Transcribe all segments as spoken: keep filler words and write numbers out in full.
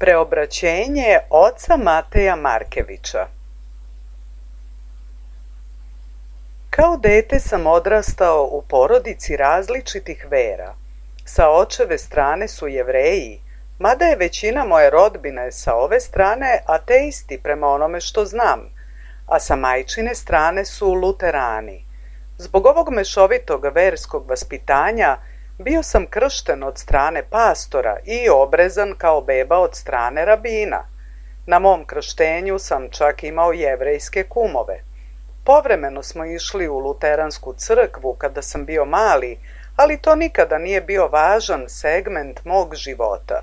Preobraćenje oca Mateja Markevića. Kao dete sam odrastao u porodici različitih vera. Sa očeve strane su Jevreji, mada je većina moje rodbine sa ove strane ateisti prema onome što znam, a sa majčine strane su luterani. Zbog ovog mešovitog verskog vaspitanja bio sam kršten od strane pastora i obrezan kao beba od strane rabina. Na mom krštenju sam čak imao jevrejske kumove. Povremeno smo išli u luteransku crkvu kada sam bio mali, ali to nikada nije bio važan segment mog života.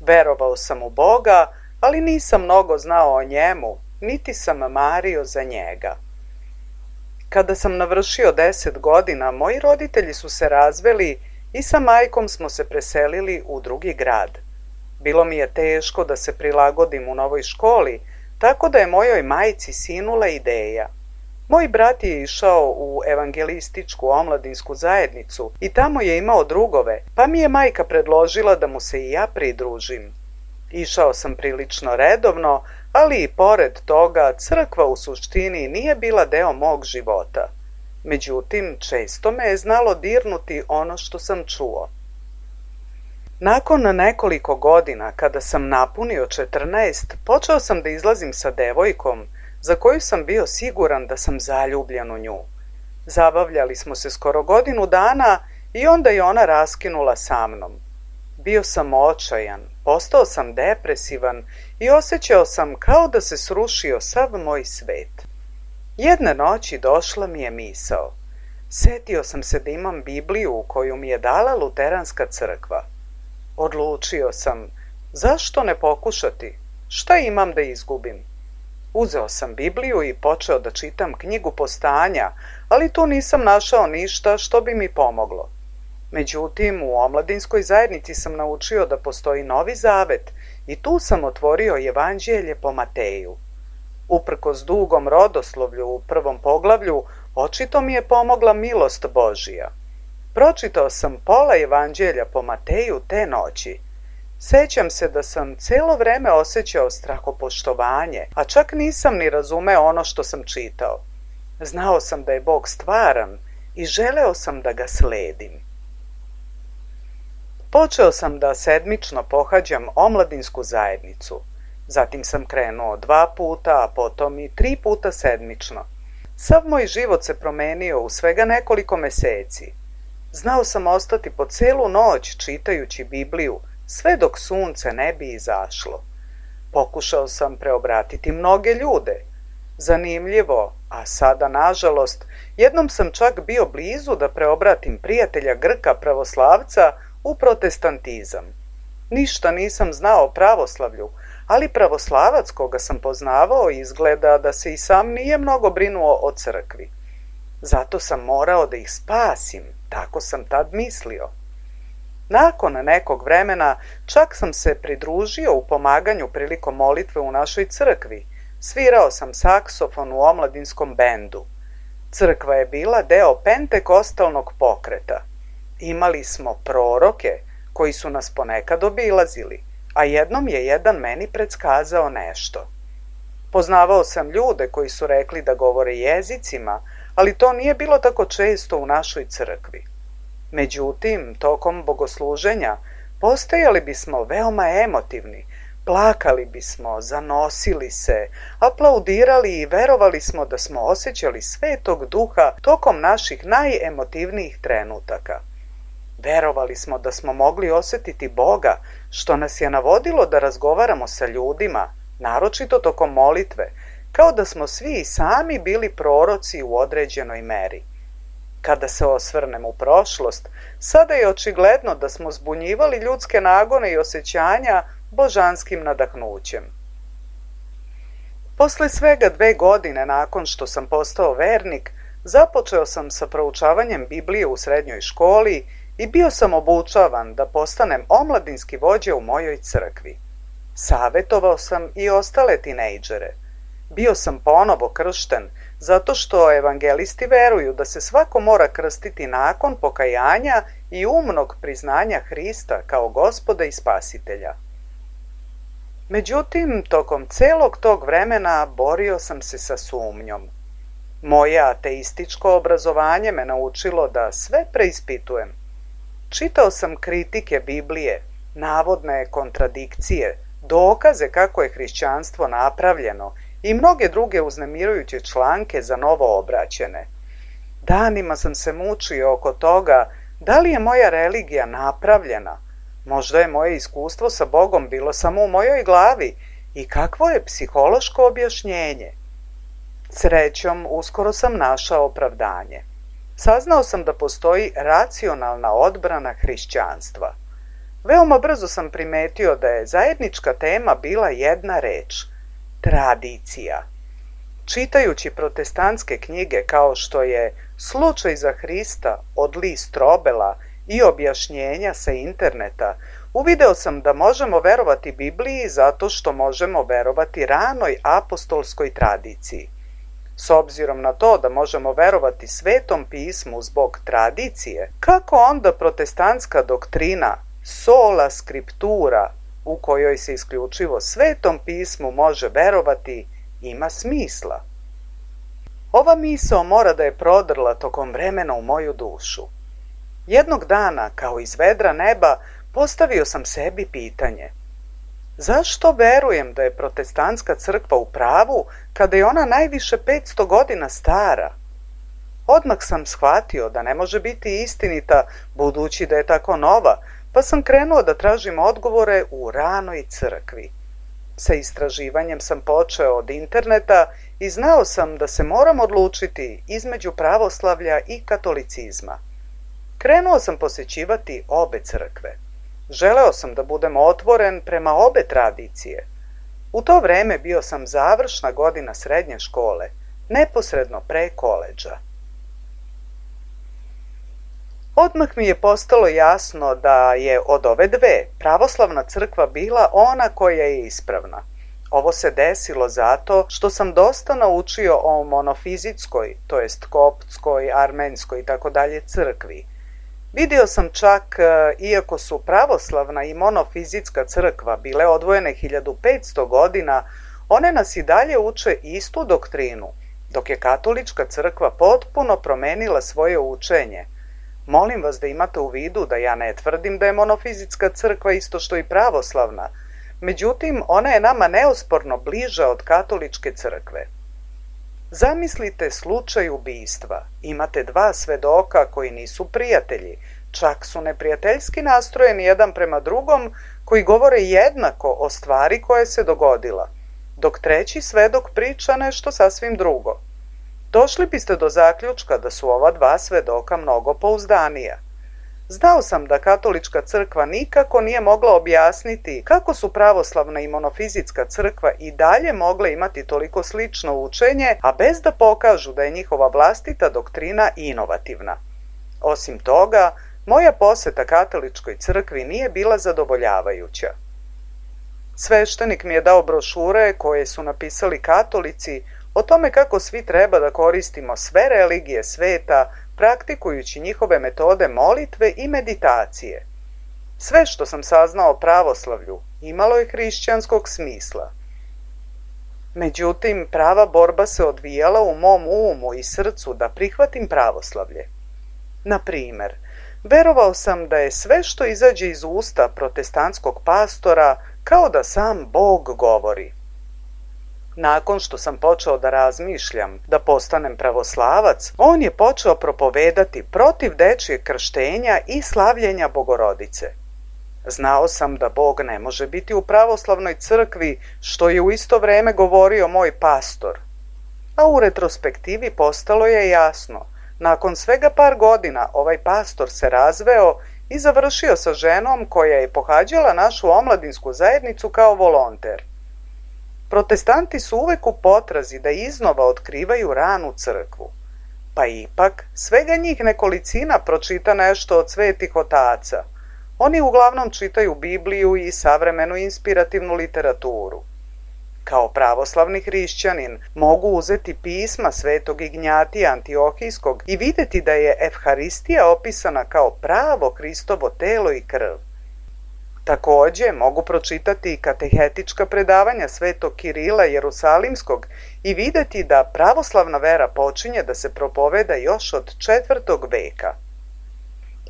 Verovao sam u Boga, ali nisam mnogo znao o njemu, niti sam mario za njega. Kada sam navršio deset godina, moji roditelji su se razveli i sa majkom smo se preselili u drugi grad. Bilo mi je teško da se prilagodim u novoj školi, tako da je mojoj majci sinula ideja. Moj brat je išao u evangelističku omladinsku zajednicu i tamo je imao drugove, pa mi je majka predložila da mu se i ja pridružim. Išao sam prilično redovno, ali i pored toga crkva u suštini nije bila deo mog života. Međutim, često me je znalo dirnuti ono što sam čuo. Nakon nekoliko godina, kada sam napunio četrnaest, počeo sam da izlazim sa devojkom, za koju sam bio siguran da sam zaljubljen u nju. Zabavljali smo se skoro godinu dana i onda je ona raskinula sa mnom. Bio sam očajan, postao sam depresivan i osjećao sam kao da se srušio sav moj svet. Jedne noći došla mi je misao. Setio sam se da imam Bibliju koju mi je dala luteranska crkva. Odlučio sam, zašto ne pokušati? Šta imam da izgubim? Uzeo sam Bibliju i počeo da čitam knjigu Postanja, ali tu nisam našao ništa što bi mi pomoglo. Međutim, u omladinskoj zajednici sam naučio da postoji Novi Zavet i tu sam otvorio Evanđelje po Mateju. Uprkos dugom rodoslovlju u prvom poglavlju, očito mi je pomogla milost Božija. Pročitao sam pola Evanđelja po Mateju te noći. Sećam se da sam celo vreme osjećao strahopoštovanje, a čak nisam ni razumeo ono što sam čitao. Znao sam da je Bog stvaran i želeo sam da ga sledim. Počeo sam da sedmično pohađam omladinsku zajednicu. Zatim sam krenuo dva puta, a potom i tri puta sedmično. Sav moj život se promenio u svega nekoliko meseci. Znao sam ostati po celu noć čitajući Bibliju, sve dok sunce ne bi izašlo. Pokušao sam preobratiti mnoge ljude. Zanimljivo, a sada nažalost, jednom sam čak bio blizu da preobratim prijatelja Grka pravoslavca u protestantizam. Ništa nisam znao o pravoslavlju, ali pravoslavac koga sam poznavao izgleda da se i sam nije mnogo brinuo o crkvi. Zato sam morao da ih spasim, tako sam tad mislio. Nakon nekog vremena čak sam se pridružio u pomaganju prilikom molitve u našoj crkvi. Svirao sam saksofon u omladinskom bendu. Crkva je bila deo pentekostalnog pokreta. Imali smo proroke koji su nas ponekad obilazili, a jednom je jedan meni predskazao nešto. Poznavao sam ljude koji su rekli da govore jezicima, ali to nije bilo tako često u našoj crkvi. Međutim, tokom bogosluženja postajali bismo veoma emotivni, plakali bismo, zanosili se, aplaudirali i verovali smo da smo osjećali Svetog Duha tokom naših najemotivnijih trenutaka. Verovali smo da smo mogli osjetiti Boga, što nas je navodilo da razgovaramo sa ljudima, naročito tokom molitve, kao da smo svi i sami bili proroci u određenoj meri. Kada se osvrnem u prošlost, sada je očigledno da smo zbunjivali ljudske nagone i osjećanja božanskim nadahnućem. Posle svega dve godine nakon što sam postao vernik, započeo sam sa proučavanjem Biblije u srednjoj školi i bio sam obučavan da postanem omladinski vođa u mojoj crkvi. Savetovao sam i ostale tinejdžere. Bio sam ponovo kršten, zato što evangelisti veruju da se svako mora krstiti nakon pokajanja i umnog priznanja Hrista kao Gospoda i Spasitelja. Međutim, tokom celog tog vremena borio sam se sa sumnjom. Moje ateističko obrazovanje me naučilo da sve preispitujem. Čitao sam kritike Biblije, navodne kontradikcije, dokaze kako je hrišćanstvo napravljeno i mnoge druge uznemirujuće članke za novo obraćene. Danima sam se mučio oko toga da li je moja religija napravljena. Možda je moje iskustvo sa Bogom bilo samo u mojoj glavi i kakvo je psihološko objašnjenje. Srećom, uskoro sam našao opravdanje. Saznao sam da postoji racionalna odbrana hrišćanstva. Veoma brzo sam primetio da je zajednička tema bila jedna reč – tradicija. Čitajući protestantske knjige kao što je Slučaj za Hrista od Lee Strobela i objašnjenja sa interneta, uvideo sam da možemo verovati Bibliji zato što možemo verovati ranoj apostolskoj tradiciji. S obzirom na to da možemo verovati Svetom pismu zbog tradicije, kako onda protestantska doktrina sola scriptura, u kojoj se isključivo Svetom pismu može verovati, ima smisla? Ova misao mora da je prodrla tokom vremena u moju dušu. Jednog dana, kao iz vedra neba, postavio sam sebi pitanje: zašto verujem da je protestantska crkva u pravu kada je ona najviše petsto godina stara? Odmah sam shvatio da ne može biti istinita budući da je tako nova, pa sam krenuo da tražim odgovore u ranoj crkvi. Sa istraživanjem sam počeo od interneta i znao sam da se moram odlučiti između pravoslavlja i katolicizma. Krenuo sam posećivati obe crkve. Želeo sam da budem otvoren prema obe tradicije. U to vreme bio sam završna godina srednje škole, neposredno pre koledža. Odmah mi je postalo jasno da je od ove dve pravoslavna crkva bila ona koja je ispravna. Ovo se desilo zato što sam dosta naučio o monofizitskoj, to jest koptskoj, armenskoj i tako dalje crkvi. Vidio sam čak, iako su pravoslavna i monofizitska crkva bile odvojene hiljadu petsto godina, one nas i dalje uče istu doktrinu, dok je katolička crkva potpuno promenila svoje učenje. Molim vas da imate u vidu da ja ne tvrdim da je monofizitska crkva isto što i pravoslavna, međutim ona je nama neosporno bliža od katoličke crkve. Zamislite slučaj ubistva. Imate dva svedoka koji nisu prijatelji, čak su neprijateljski nastrojeni jedan prema drugom, koji govore jednako o stvari koja se dogodila, dok treći svedok priča nešto sasvim drugo. Došli biste do zaključka da su ova dva svedoka mnogo pouzdanija. Znao sam da katolička crkva nikako nije mogla objasniti kako su pravoslavna i monofizitska crkva i dalje mogle imati toliko slično učenje, a bez da pokažu da je njihova vlastita doktrina inovativna. Osim toga, moja poseta katoličkoj crkvi nije bila zadovoljavajuća. Sveštenik mi je dao brošure koje su napisali katolici o tome kako svi treba da koristimo sve religije sveta, praktikujući njihove metode molitve i meditacije. Sve što sam saznao o pravoslavlju imalo je hrišćanskog smisla. Međutim, prava borba se odvijala u mom umu i srcu da prihvatim pravoslavlje. Na primer, verovao sam da je sve što izađe iz usta protestantskog pastora kao da sam Bog govori. Nakon što sam počeo da razmišljam da postanem pravoslavac, on je počeo propovedati protiv dečijeg krštenja i slavljenja Bogorodice. Znao sam da Bog ne može biti u pravoslavnoj crkvi, što je u isto vreme govorio moj pastor. A u retrospektivi postalo je jasno. Nakon svega par godina ovaj pastor se razveo i završio sa ženom koja je pohađala našu omladinsku zajednicu kao volonter. Protestanti su uvek u potrazi da iznova otkrivaju ranu crkvu. Pa ipak, svega njih nekolicina pročita nešto od svetih otaca. Oni uglavnom čitaju Bibliju i savremenu inspirativnu literaturu. Kao pravoslavni hrišćanin mogu uzeti pisma svetog Ignjatija Antiohijskog i videti da je Evharistija opisana kao pravo Hristovo telo i krv. Takođe, mogu pročitati i katehetička predavanja svetog Kirila Jerusalimskog i videti da pravoslavna vera počinje da se propoveda još od četvrtog veka.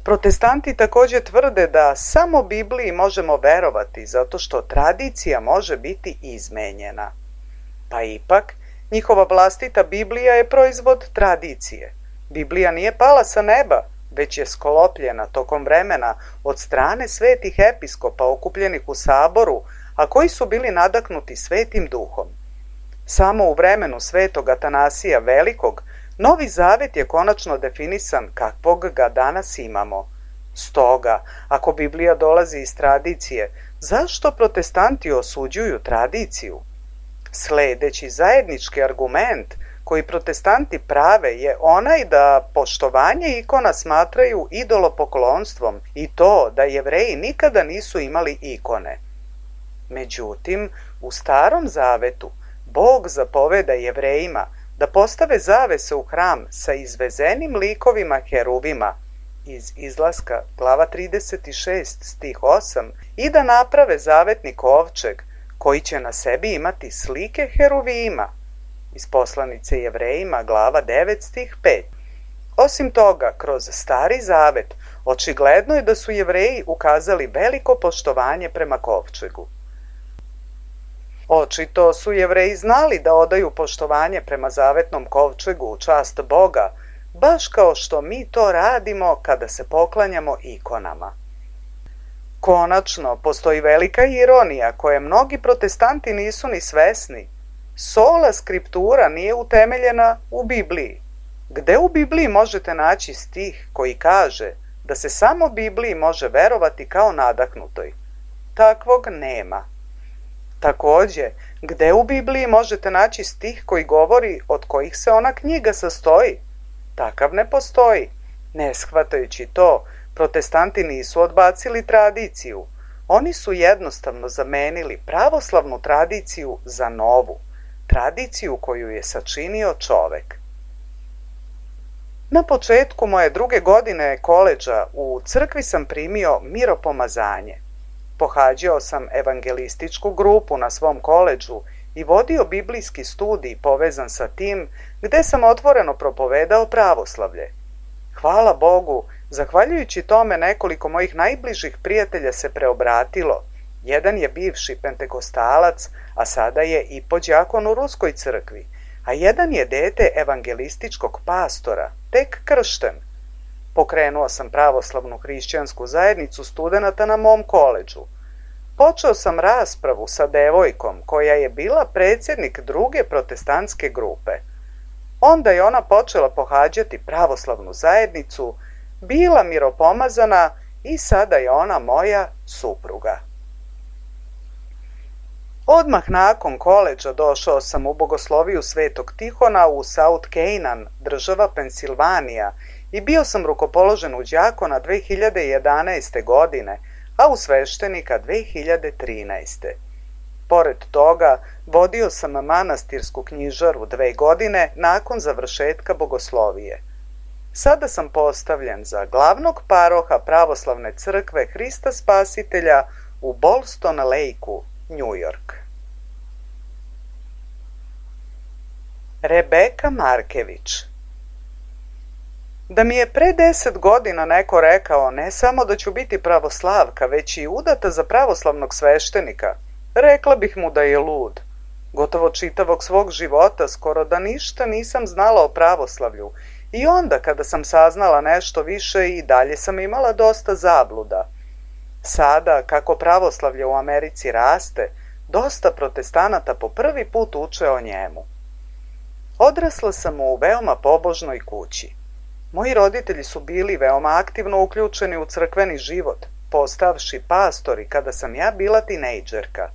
Protestanti takođe tvrde da samo Bibliji možemo verovati zato što tradicija može biti izmenjena. Pa ipak, njihova vlastita Biblija je proizvod tradicije. Biblija nije pala sa neba, već je sklopljena tokom vremena od strane svetih episkopa okupljenih u saboru, a koji su bili nadahnuti Svetim duhom. Samo u vremenu svetog Atanasija Velikog Novi Zavet je konačno definisan kakvog ga danas imamo. Stoga, ako Biblija dolazi iz tradicije, zašto protestanti osuđuju tradiciju? Sledeći zajednički argument koji protestanti prave je onaj da poštovanje ikona smatraju idolopoklonstvom i to da Jevreji nikada nisu imali ikone. Međutim, u Starom Zavetu Bog zapoveda Jevrejima da postave zavese u hram sa izvezenim likovima heruvima iz Izlaska glava trideset šest stih osam i da naprave zavetni kovčeg koji će na sebi imati slike heruvima iz poslanice Jevrejima glava devet stih pet. Osim toga, kroz Stari Zavet očigledno je da su Jevreji ukazali veliko poštovanje prema kovčegu. Očito su Jevreji znali da odaju poštovanje prema zavetnom kovčegu u čast Boga, baš kao što mi to radimo kada se poklanjamo ikonama. Konačno, postoji velika ironija koje mnogi protestanti nisu ni svesni. Sola skriptura nije utemeljena u Bibliji. Gde u Bibliji možete naći stih koji kaže da se samo Bibliji može verovati kao nadahnutoj? Takvog nema. Takođe, gde u Bibliji možete naći stih koji govori od kojih se ona knjiga sastoji? Takav ne postoji. Ne shvatajući to, protestanti nisu odbacili tradiciju. Oni su jednostavno zamenili pravoslavnu tradiciju za novu, tradiciju koju je sačinio čovek. Na početku moje druge godine koledža u crkvi sam primio miropomazanje. Pohađao sam evangelističku grupu na svom koledžu i vodio biblijski studij povezan sa tim gde sam otvoreno propovedao pravoslavlje. Hvala Bogu, zahvaljujući tome nekoliko mojih najbližih prijatelja se preobratilo. Jedan je bivši pentekostalac, a sada je i podđakon u Ruskoj crkvi, a jedan je dete evangelističkog pastora, tek kršten. Pokrenuo sam pravoslavnu hrišćansku zajednicu studenata na mom koledžu. Počeo sam raspravu sa devojkom koja je bila predsjednik druge protestantske grupe. Onda je ona počela pohađati pravoslavnu zajednicu, bila miropomazana i sada je ona moja supruga. Odmah nakon koledža došao sam u bogosloviju Svetog Tihona u South Canaan, država Pensilvanija, i bio sam rukopoložen u đakona dve hiljade jedanaeste. godine, a u sveštenika dve hiljade trinaeste. Pored toga, vodio sam manastirsku knjižaru dve godine nakon završetka bogoslovije. Sada sam postavljen za glavnog paroha pravoslavne crkve Hrista Spasitelja u Ballston Lakeu, New York. Rebeka Markević. Da mi je pre deset godina neko rekao ne samo da ću biti pravoslavka, već i udata za pravoslavnog sveštenika, rekla bih mu da je lud. Gotovo čitavog svog života skoro da ništa nisam znala o pravoslavlju i onda kada sam saznala nešto više i dalje sam imala dosta zabluda. Sada, kako pravoslavlje u Americi raste, dosta protestanata po prvi put uče o njemu. Odrasla sam u veoma pobožnoj kući. Moji roditelji su bili veoma aktivno uključeni u crkveni život, postavši pastori kada sam ja bila tinejdžerka.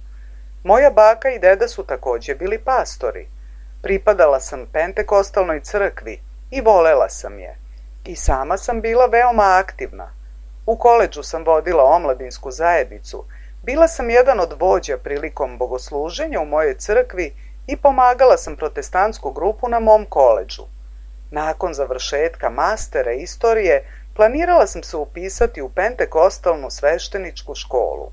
Moja baka i deda su takođe bili pastori. Pripadala sam pentekostalnoj crkvi i volela sam je. I sama sam bila veoma aktivna. U koledžu sam vodila omladinsku zajednicu, bila sam jedan od vođa prilikom bogosluženja u mojoj crkvi i pomagala sam protestantsku grupu na mom koledžu. Nakon završetka mastera istorije, planirala sam se upisati u pentekostalnu svešteničku školu.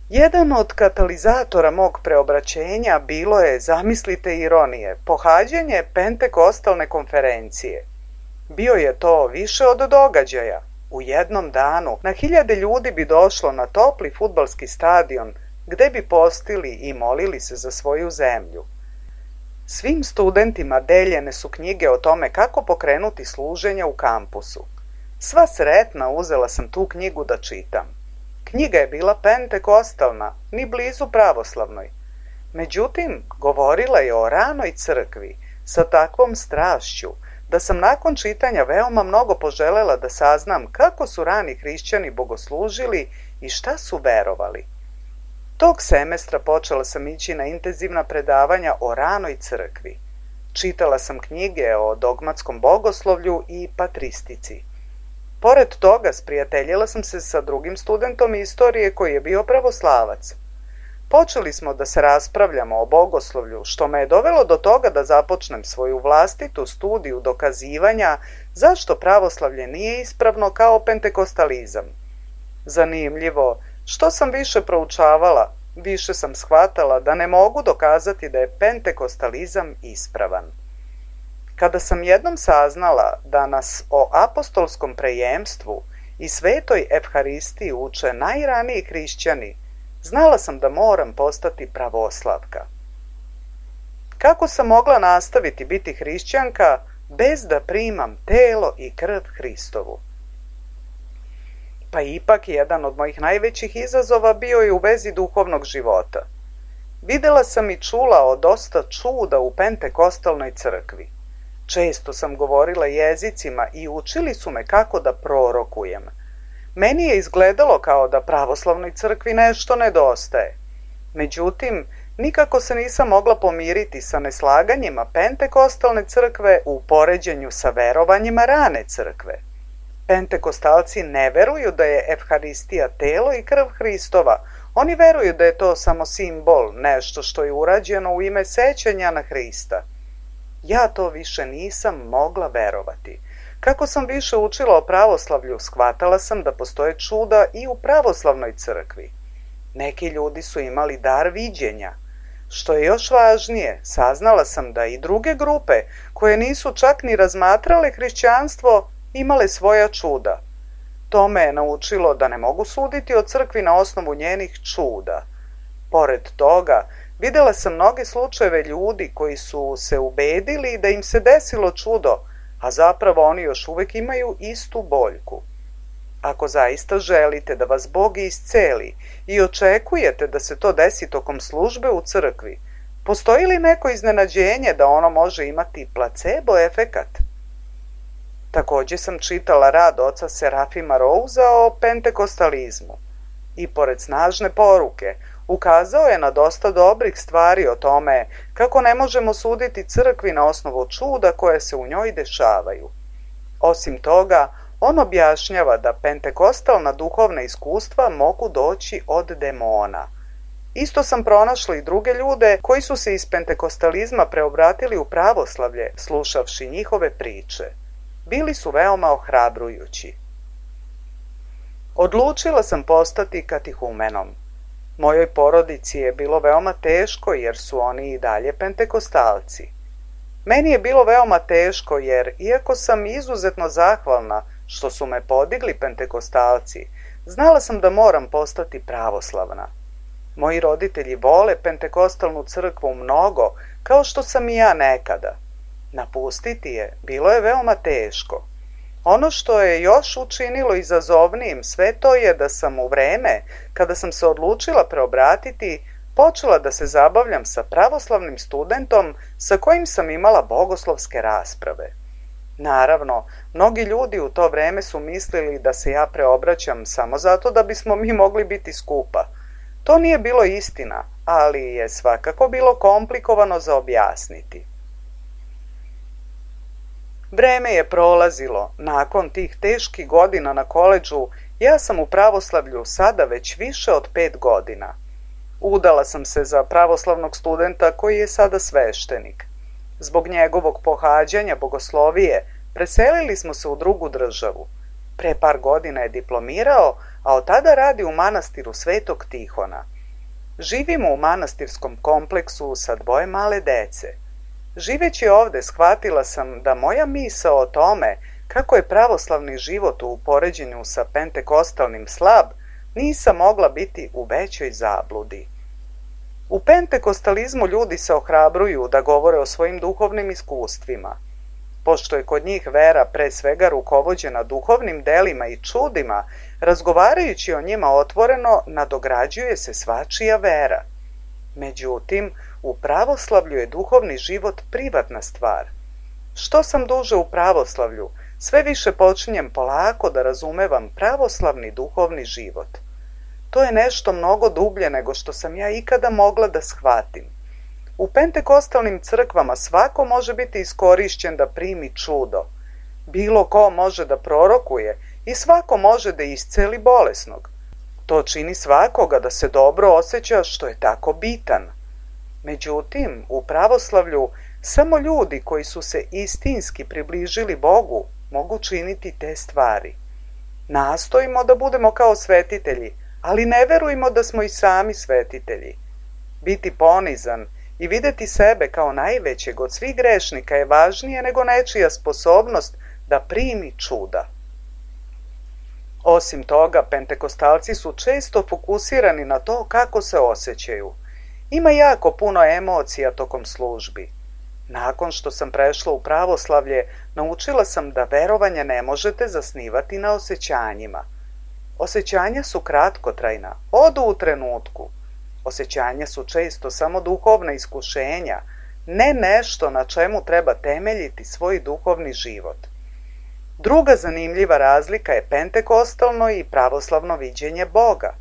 Jedan od katalizatora mog preobraćenja bilo je, zamislite ironije, pohađanje pentekostalne konferencije. Bio je to više od događaja. U jednom danu na hiljade ljudi bi došlo na topli fudbalski stadion gde bi postili i molili se za svoju zemlju. Svim studentima deljene su knjige o tome kako pokrenuti služenja u kampusu. Sva sretna uzela sam tu knjigu da čitam. Knjiga je bila pentekostalna, ni blizu pravoslavnoj. Međutim, govorila je o ranoj crkvi sa takvom strašću da sam nakon čitanja veoma mnogo poželela da saznam kako su rani hrišćani bogoslužili i šta su verovali. Tog semestra počela sam ići na intenzivna predavanja o ranoj crkvi. Čitala sam knjige o dogmatskom bogoslovlju i patristici. Pored toga, sprijateljila sam se sa drugim studentom istorije koji je bio pravoslavac. Počeli smo da se raspravljamo o bogoslovlju, što me je dovelo do toga da započnem svoju vlastitu studiju dokazivanja zašto pravoslavlje nije ispravno kao pentekostalizam. Zanimljivo, što sam više proučavala, više sam shvatala da ne mogu dokazati da je pentekostalizam ispravan. Kada sam jednom saznala da nas o apostolskom prejemstvu i svetoj evharistiji uče najraniji hrišćani, znala sam da moram postati pravoslavka. Kako sam mogla nastaviti biti hrišćanka bez da primam telo i krv Hristovu? Pa ipak jedan od mojih najvećih izazova bio je u vezi duhovnog života. Videla sam i čula o dosta čuda u pentekostalnoj crkvi. Često sam govorila jezicima i učili su me kako da prorokujem. Meni je izgledalo kao da pravoslavnoj crkvi nešto nedostaje. Međutim, nikako se nisam mogla pomiriti sa neslaganjima pentekostalne crkve u poređenju sa verovanjima rane crkve. Pentekostalci ne veruju da je evharistija telo i krv Hristova. Oni veruju da je to samo simbol, nešto što je urađeno u ime sećanja na Hrista. Ja to više nisam mogla verovati. Kako sam više učila o pravoslavlju, shvatala sam da postoje čuda i u pravoslavnoj crkvi. Neki ljudi su imali dar viđenja. Što je još važnije, saznala sam da i druge grupe, koje nisu čak ni razmatrale hrišćanstvo, imale svoja čuda. To me je naučilo da ne mogu suditi o crkvi na osnovu njenih čuda. Pored toga, videla sam mnoge slučajeve ljudi koji su se ubedili da im se desilo čudo, a zapravo oni još uvek imaju istu boljku. Ako zaista želite da vas Bog isceli i očekujete da se to desi tokom službe u crkvi, postoji li neko iznenađenje da ono može imati placebo efekat? Takođe sam čitala rad oca Serafima Rouza o pentekostalizmu i pored snažne poruke ukazao je na dosta dobrih stvari o tome kako ne možemo suditi crkvi na osnovu čuda koje se u njoj dešavaju. Osim toga, on objašnjava da pentekostalna duhovna iskustva mogu doći od demona. Isto sam pronašla i druge ljude koji su se iz pentekostalizma preobratili u pravoslavlje, slušavši njihove priče. Bili su veoma ohrabrujući. Odlučila sam postati katehumenom. Mojoj porodici je bilo veoma teško jer su oni i dalje pentekostalci. Meni je bilo veoma teško jer, iako sam izuzetno zahvalna što su me podigli pentekostalci, znala sam da moram postati pravoslavna. Moji roditelji vole pentekostalnu crkvu mnogo, kao što sam i ja nekada. Napustiti je bilo je veoma teško. Ono što je još učinilo izazovnijim sve to je da sam u vreme, kada sam se odlučila preobratiti, počela da se zabavljam sa pravoslavnim studentom sa kojim sam imala bogoslovske rasprave. Naravno, mnogi ljudi u to vreme su mislili da se ja preobraćam samo zato da bismo mi mogli biti skupa. To nije bilo istina, ali je svakako bilo komplikovano za objasniti. Vreme je prolazilo. Nakon tih teških godina na koledžu, ja sam u pravoslavlju sada već više od pet godina. Udala sam se za pravoslavnog studenta koji je sada sveštenik. Zbog njegovog pohađanja bogoslovije, preselili smo se u drugu državu. Pre par godina je diplomirao, a od tada radi u manastiru Svetog Tihona. Živimo u manastirskom kompleksu sa dvoje male dece. Živeći ovde shvatila sam da moja misao o tome kako je pravoslavni život u poređenju sa pentekostalnim slab, nisam mogla biti u većoj zabludi. U pentekostalizmu ljudi se ohrabruju da govore o svojim duhovnim iskustvima. Pošto je kod njih vera pre svega rukovođena duhovnim delima i čudima, razgovarajući o njima otvoreno, nadograđuje se svačija vera. Međutim, u pravoslavlju je duhovni život privatna stvar. Što sam duže u pravoslavlju, sve više počinjem polako da razumevam pravoslavni duhovni život. To je nešto mnogo dublje nego što sam ja ikada mogla da shvatim. U pentekostalnim crkvama svako može biti iskorišćen da primi čudo. Bilo ko može da prorokuje i svako može da isceli bolesnog. To čini svakoga da se dobro osjeća što je tako bitan. Međutim, u pravoslavlju samo ljudi koji su se istinski približili Bogu mogu činiti te stvari. Nastojimo da budemo kao svetitelji, ali ne verujemo da smo i sami svetitelji. Biti ponizan i videti sebe kao najvećeg od svih grešnika je važnije nego nečija sposobnost da primi čuda. Osim toga, pentekostalci su često fokusirani na to kako se osjećaju. Ima jako puno emocija tokom službi. Nakon što sam prešla u pravoslavlje, naučila sam da verovanje ne možete zasnivati na osjećanjima. Osjećanja su kratkotrajna, odu u trenutku. Osjećanja su često samo duhovna iskušenja, ne nešto na čemu treba temeljiti svoj duhovni život. Druga zanimljiva razlika je pentekostalno i pravoslavno viđenje Boga.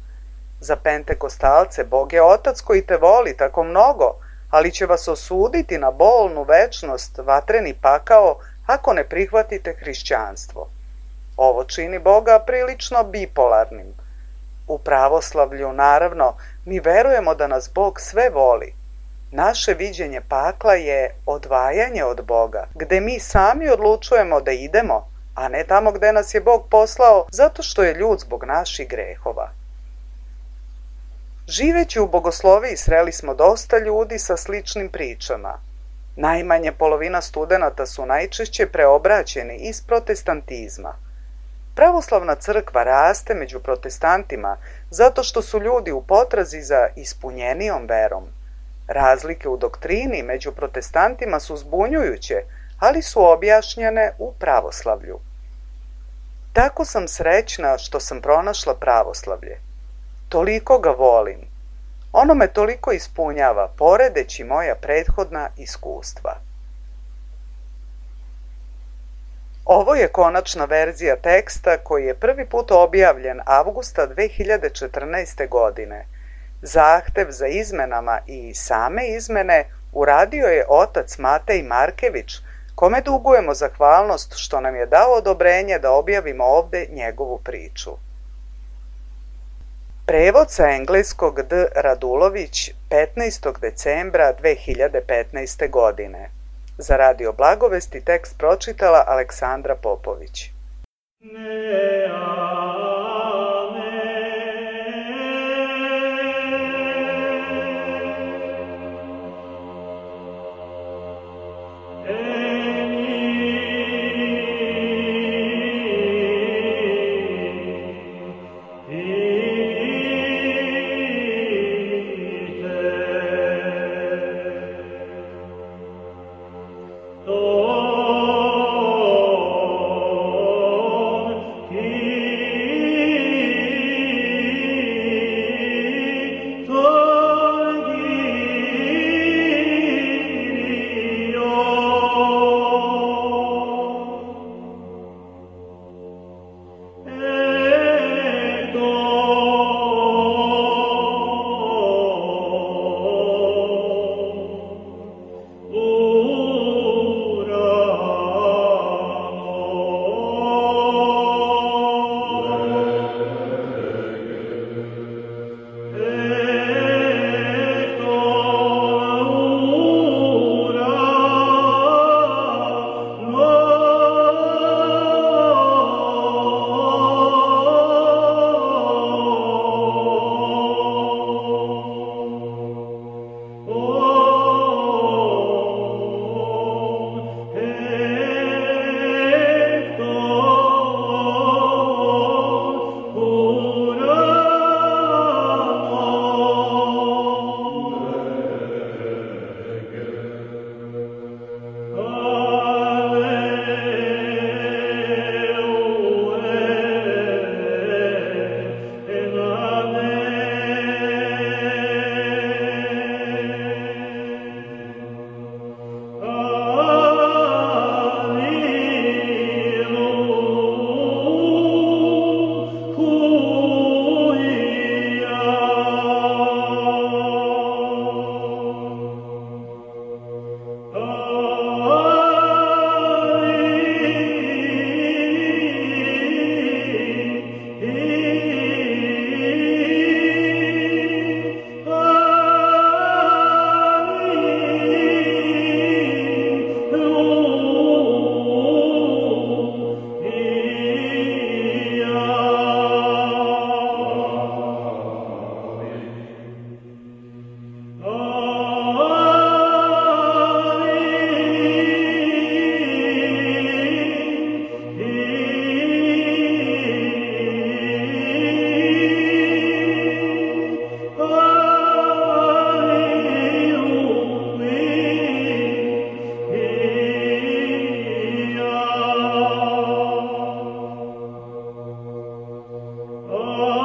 Za pentekostalce Bog je Otac koji te voli tako mnogo, ali će vas osuditi na bolnu večnost, vatreni pakao, ako ne prihvatite hrišćanstvo. Ovo čini Boga prilično bipolarnim. U pravoslavlju, naravno, mi verujemo da nas Bog sve voli. Naše viđenje pakla je odvajanje od Boga, gde mi sami odlučujemo da idemo, a ne tamo gde nas je Bog poslao zato što je ljud zbog naših grehova. Živeći u Bogosloviji sreli smo dosta ljudi sa sličnim pričama. Najmanje polovina studenata su najčešće preobraćeni iz protestantizma. Pravoslavna crkva raste među protestantima zato što su ljudi u potrazi za ispunjenijom verom. Razlike u doktrini među protestantima su zbunjujuće, ali su objašnjene u pravoslavlju. Tako sam srećna što sam pronašla pravoslavlje. Toliko ga volim. Ono me toliko ispunjava, poredeći moja prethodna iskustva. Ovo je konačna verzija teksta koji je prvi put objavljen avgusta dve hiljade četrnaeste. godine. Zahtev za izmenama i same izmene uradio je otac Matej Markević, kome dugujemo zahvalnost što nam je dao odobrenje da objavimo ovde njegovu priču. Prevod sa engleskog D. Radulović, petnaestog decembra dve hiljade petnaeste. godine. Za Radio Blagovesti tekst pročitala Aleksandra Popović. Oh Oh